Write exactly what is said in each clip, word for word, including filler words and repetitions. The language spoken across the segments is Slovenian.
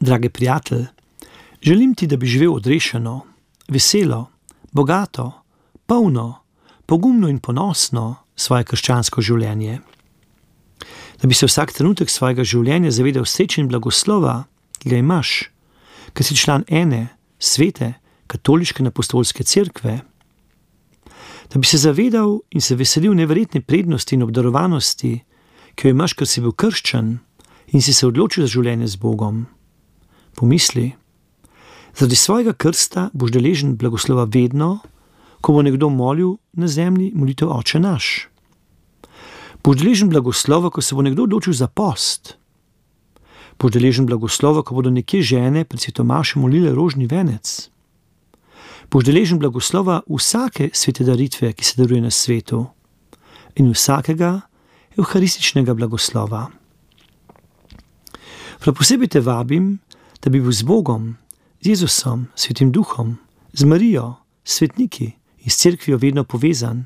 Dragi prijatelj, želim ti, da bi živel odrešeno, veselo, bogato, polno, pogumno in ponosno svoje krščansko življenje. Da bi se vsak trenutek svojega življenja zavedal sreče in blagoslova, ki ga imaš, ker si član ene, svete, katoliške in apostolske cerkve. Da bi se zavedal in se veselil neverjetne prednosti in obdarovanosti, ki jo imaš, ker si bil krščan in si se odločil za življenje z Bogom. Pomisli, zaradi svojega krsta boš deležen blagoslova vedno, ko bo nekdo molil na zemlji molitev Oče naš. Boš deležen blagoslova, ko se bo nekdo odločil za post. Boš deležen blagoslova, ko bodo nekje žene pred svetomašem molile rožni venec. Boš deležen blagoslova vsake svete daritve, ki se daruje na svetu, in vsakega evharističnega blagoslova. Prav posebej te vabim, da bi bil z Bogom, z Jezusom, Svetim Duhom, z Marijo, svetniki in s cerkvijo vedno povezan.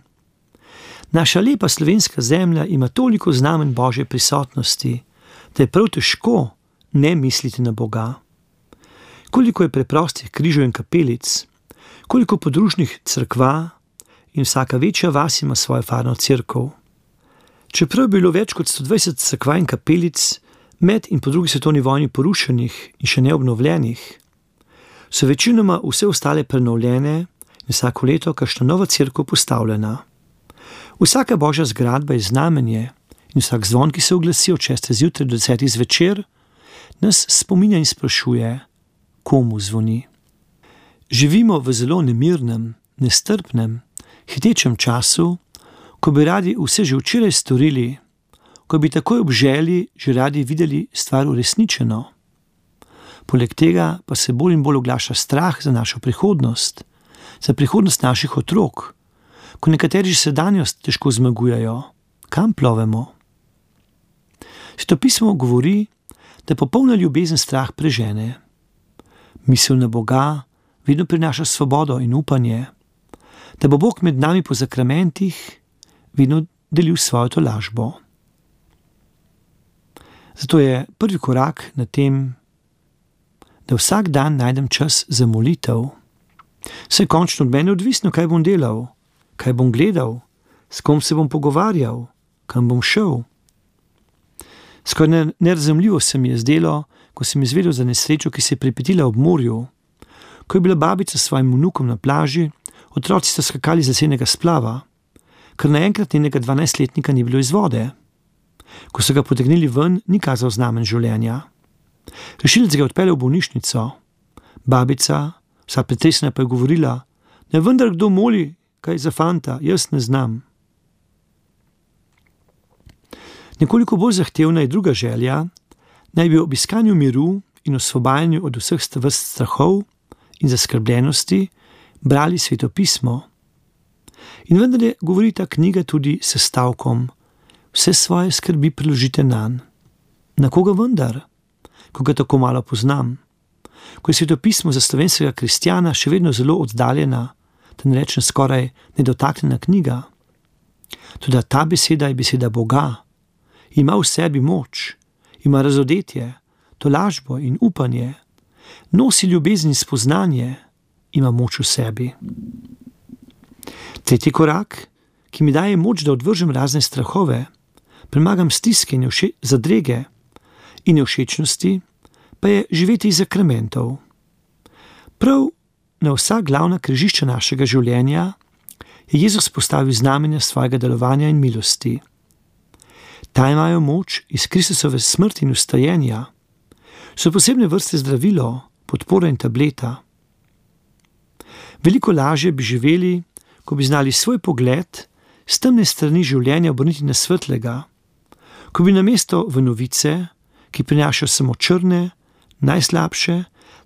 Naša lepa slovenska zemlja ima toliko znamen Božje prisotnosti, da je prav težko ne misliti na Boga. Koliko je preprostih križev in kapelic, koliko podružnih cerkva in vsaka večja vas ima svojo farno cerkev. Čeprav je bilo več kot sto dvajset cerkva in kapelic med in po drugi svetovni vojni porušenih in še neobnovljenih, so večinoma vse ostale prenovljene in vsako leto kakšna nova cerkev postavljena. Vsaka Božja zgradba je znamenje in vsak zvon, ki se oglasi od šeste zjutraj do desetih zvečer, nas spominja in sprašuje, komu zvoni. Živimo v zelo nemirnem, nestrpnem, hitečem času, ko bi radi vse že včeraj storili, ko bi takoj ob želji že radi videli stvar uresničeno. Poleg tega pa se bolj in bolj oglaša strah za našo prihodnost, za prihodnost naših otrok, ko nekateri že sedanjost težko zmagujejo. Kam plovemo? Svetopismo govori, da popolna ljubezen strah prežene. Misel na Boga vedno prinaša svobodo in upanje, da bo Bog med nami po zakramentih vedno delil svojo tolažbo. Zato je prvi korak na tem, da vsak dan najdem čas za molitev. Saj končno od mene odvisno, kaj bom delal, kaj bom gledal, s kom se bom pogovarjal, kam bom šel. Skoraj nerazumljivo se mi je zdelo, ko sem izvedel za nesrečo, ki se je pripetila ob morju. Ko je bila babica s svojim vnukom na plaži, otroci sta skakali z lesenega splava, ker naenkrat njenega dvanajstletnika ni bilo iz vode. Ko so ga potegnili ven, ni kazal znamen življenja. Rešilec ga je odpeljal v bolnišnico. Babica, vsa pretresena, pa je govorila, ne vendar kdo moli, kaj za fanta, jaz ne znam. Nekoliko bolj zahtevna je druga želja, naj bi ob iskanju miru in osvobajanju od vseh vrst strahov in zaskrbljenosti brali svetopismo. In vendar je govori ta knjiga tudi s stavkom, vse svoje skrbi preložite nanj. Na koga vendar, ko ga tako malo poznam? Ko je svetopismo za slovenskega kristjana še vedno zelo oddaljena, da ne rečem skoraj nedotaknjena knjiga. Toda ta beseda je beseda Boga. Ima v sebi moč, ima razodetje, tolažbo in upanje, nosi ljubezen in spoznanje, ima moč v sebi. Tretji korak, ki mi daje moč, da odvržem razne strahove, premagam stiske in zadrege in nevšečnosti, pa je živeti iz zakramentov. Prav na vsa glavna križišča našega življenja je Jezus postavil znamenja svojega delovanja in milosti. Ta imajo moč iz Kristusove smrti in vstajenja, so posebne vrste zdravilo, podpora in tableta. Veliko lažje bi živeli, ko bi znali svoj pogled s temne strani življenja obrniti na svetlega, ko bi namesto v novice, ki prinašajo samo črne, najslabše,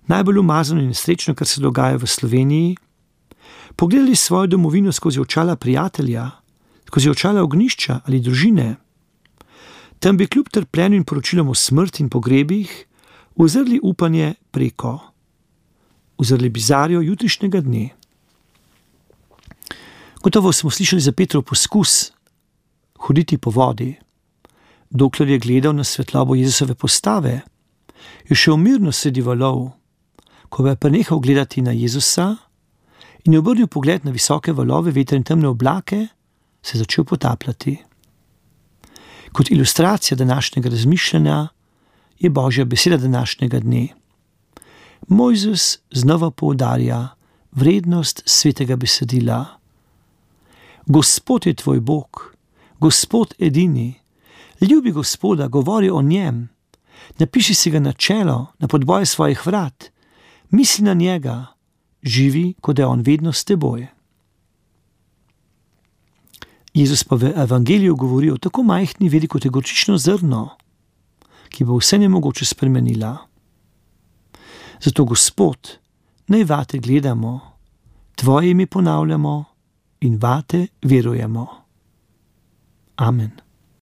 najbolj umazano in nesrečno, kar se dogaja v Sloveniji, pogledali svojo domovino skozi očala prijatelja, skozi očala ognjišča ali družine. Tam bi kljub trpljenju in poročilom o smrti in pogrebih uzrli upanje preko, uzrli bizarjo jutrišnjega dne. Gotovo smo slišali za Petrov poskus hoditi po vodi, dokler je gledal na svetlobo Jezusove postave je šel mirno sredi valov, ko je prenehal gledati na Jezusa in je obrnil pogled na visoke valove, veter in temne oblake, se je začel potapljati. Kot ilustracija današnjega razmišljanja je Božja beseda današnjega dne. Mojzes znova poudarja vrednost svetega besedila. Gospod je tvoj Bog, Gospod edini, ljubi Gospoda, govori o njem, napiši si ga na čelo, na podboje svojih vrat, misli na njega, živi, kot da je on vedno s teboj. Jezus pa v evangeliju govori o tako majhni veri, kot je gorčično zrno, ki bo vse nemogoče spremenila. Zato, Gospod, naj vate gledamo, tvoje ime ponavljamo in vate verujemo. Amen.